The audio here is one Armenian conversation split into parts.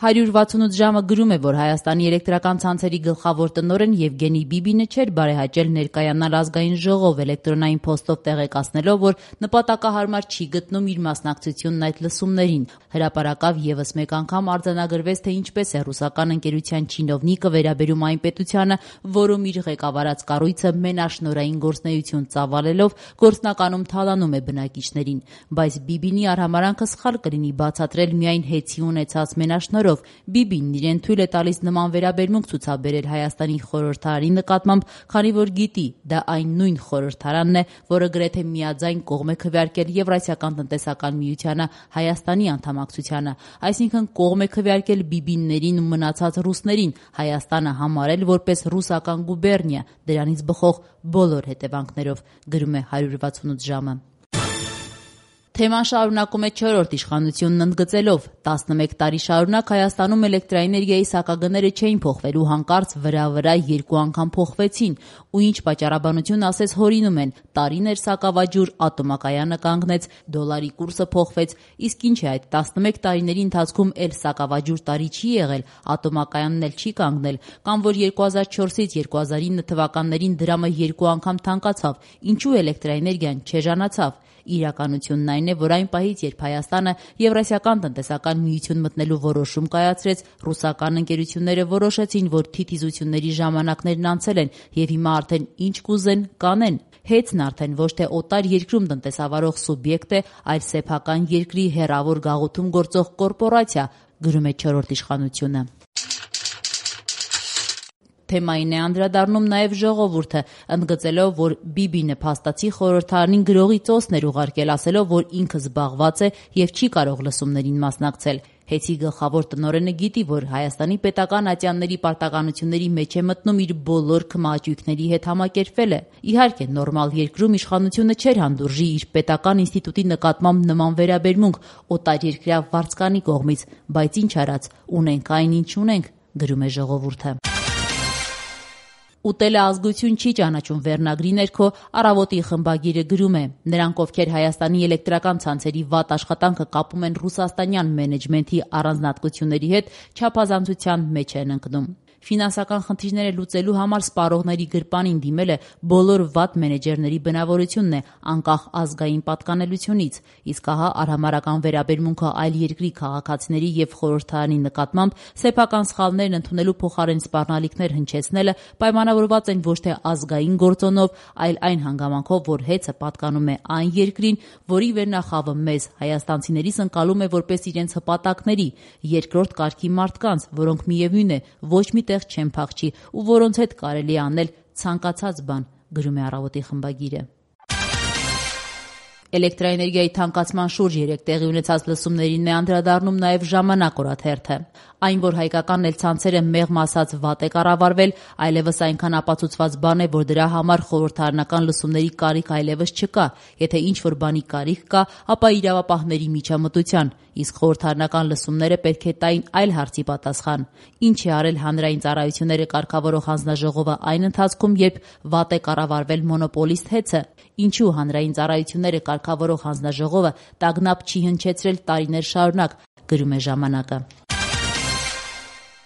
168 ժամը գրում է, որ Հայաստանի էլեկտրական ցանցերի գլխավոր տնօրեն Եվգենի Բիբինը չէր բարեհաճել ներկայանալ ազգային ժողով էլեկտրոնային փոստով տեղեկացնելով, որ նպատակահարմար չի գտնում իր մասնակցությունն այդ լսումներին։ Հրապարակավ եւս մեկ անգամ արձանագրվեց, թե ինչպես է ռուսական ընկերության չինովնիկը վերաբերում այն պետությանը, որում իր ղեկավարած կառույցը մենաշնորհային գործունեություն ծավալելով գործնականում թալանում է բնակիչներին։ Բայց Բիբինի արհամարանքը սխալ կլինի բացատրել միայն հեծի ունեցած մենաշնորհով։ Բիբին իրեն թույլ է տալիս նման վերաբերմունք ցուցաբերել Հայաստանի խորհրդարանի նկատմամբ, քանի որ գիտի, դա այն նույն խորհրդարանն է, որը գրեթե միաձայն կողմ է քվեարկել Եվրասիական տնտեսական միությանը Հայաստանի անդամակցությանը, այսինքն կողմ է քվեարկել բիբիններին ու մնացած ռուսներին, Հայաստանը համարել որպես ռուսական գուբերնիա, դրանից բխող բոլոր հետևանքներով, գրում է 168 ժամը։ Թեման շարունակում է 4-րդ իշխանությունն ընդգծելով. 11 տարի շարունակ Հայաստանում էլեկտրաէներգիայի սակագները չէին փոխվելու, հանկարծ վրա 2 անգամ փոխվեցին, ու ինչ պատճառաբանություն ասես հորինում են, տարիներ սակավաջուր, ատոմակայանը կանգնեց, դոլարի կուրսը փոխվեց, իսկ ինչ է այդ 11 տարիների ընթացքում էլ սակավաջուր տարի չի եղել, ատոմակայանն էլ չի կանգնել, կամ որ 2004-ից 2009 թվականներին դրամը 2 անգամ թանկացավ, ինչու էլեկտրաէներգիան չեժանացավ։ Իրականությունն այն է, որ այն պահից, երբ Հայաստանը Եվրասիական տնտեսական միություն մտնելու որոշում կայացրեց, ռուսական ընկերությունները որոշեցին, որ թիթիզությունների ժամանակներն անցել են եւ հիմա արդեն ինչ կուզեն կանեն։ Հեծն արդեն ոչ թե օտար երկրում տնտեսավարող սուբյեկտ է, այլ սեփական երկրի հեռավոր գաղութում գործող կորպորացիա, գրում է 4-րդ իշխանությունը։ Թեմային է անդրադառնում նաև ժողովուրդը, ընդգծելով, որ Բիբինը փաստացի խորհրդարանին գրողի ծոսն էր ուղարկել, ասելով, որ ինքը զբաղված է եւ չի կարող լսումներին մասնակցել։ Հեծի գլխավոր տնօրենը գիտի, որ Հայաստանի պետական ատյանների պարտականությունների մեջ է մտնում իր բոլոր քմահաճույքների հետ համակերպվել է։ Իհարկե, նորմալ երկրում իշխանությունը չէր հանդուրժի իր պետական ինստիտուտի նկատմամբ նման վերաբերմունք օտարերկրյա վարձկանի կողմից, բայց ինչ արած, ունենք այն, ինչ ունենք, գրում է ժողովուրդը։ Ուտելը ազգություն չի ճանաչում վերնագրի ներքո Առավոտի խմբագիրը գրում է. նրանք, ովքեր Հայաստանի էլեկտրական ցանցերի վատ աշխատանքը կապում են ռուսաստանյան մենեջմենթի առանձնահատկությունների հետ, չափազանցության մեջ են ընկնում։ Ֆինանսական խնդիրները լուծելու համար սպառողների գրպանին դիմելը բոլոր վատ մենեջերների բնավորությունն է, անկախ ազգային պատկանելությունից, իսկ ահա արհամարական վերաբերմունքը այլ երկրի քաղաքացիների եւ խորհրդարանի նկատմամբ սեփական սխալներն ընդունելու փոխարեն սպառնալիքներ հնչեցնելը պայմանավորված են ոչ թե ազգային գործոնով, այլ այն հանգամանքով, որ հեծը պատկանում է այն երկրին, որի վերնախավը մեզ հայաստանցիներից ընկալում է որպես իրենց հպատակների, երկրորդ կարգի մարդկանց, որոնք միևնույն է ոչ մի չեն փախչի ու որոնց հետ կարելի է անել ցանկացած բան, գրում է Առավոտի խմբագիրը։ Էլեկտրաէներգիայի թանկացման շուրջ 3 տեղի ունեցած լսումներին է անդրադառնում նաև Ժամանակ օրաթերթը։ Այն, որ հայկական ցանցերը մեղմ ասած վատ է կառավարվել, այլևս այնքան ապացուցված բան է, որ դրա համար խորհրդարանական լսումների կարիք այլևս չկա։ Եթե ինչ-որ բանի կարիք կա, ապա իրավապահների միջամտության, իսկ խորհրդարանական լսումները պետք է տային այլ հարցի պատասխան։ Ինչ է արել հանրային ծառայությունները կարգավորող հանձնաժողովը այն ընթացքում, երբ վատ է կառավարվել մոնոպոլիստ հեծը։ Ինչու հանրային ծառայությունները կարգավորող հանձնաժողովը տագնապ չի հնչեցրել տարիներ շարունակ, գրում է Ժամանակը։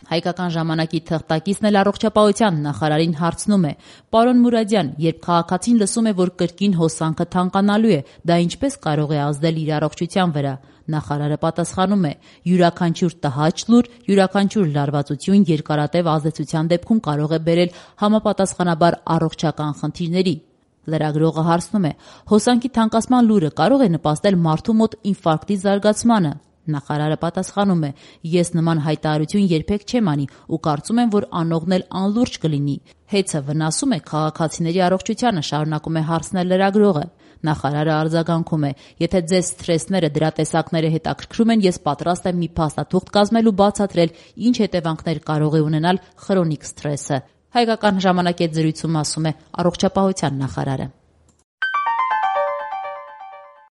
Հայկական ժամանակի թղթակիցն էլ առողջապահության նախարարին հարցնում է. «Պարոն Մուրադյան, երբ քաղաքացին լսում է, որ կրկին հոսանքը թանկանալու է, դա ինչպես կարող է ազդել իր առողջության վրա»։ Նախարարը պատասխանում է. «Յուրաքանչյուր տհաճ լուր, յուրաքանչյուր լարվածություն երկարատև ազդեցության դեպքում կարող է բերել համապատասխանաբար առողջական խնդիրների»։ Լրագրողը հարցնում է. «Հոսանքի թանկացման լուրը կարող է նպաստել մարդու մոտ ինֆարկտի զարգացմանը»։ Նախարարը պատասխանում է. «Ես նման հայտարարություն երբեք չեմ անի ու կարծում եմ, որ անողն էլ անլուրջ կլինի։ Հեծը վնասում է քաղաքացիների առողջությանը», շարունակում է հարցնել լրագրողը։ Նախարարը արձագանքում է. «Եթե ձեզ սթրեսները, դրա տեսակները հետաքրքրում են, ես պատրաստ եմ մի փաստաթուղթ կազմել ու բացատրել, ինչ հետևանքներ կարող է ունենալ խրոնիկ սթրեսը»։ Հայկական ժամանակի հետ զրույցում ասում է առողջապահության նախարարը։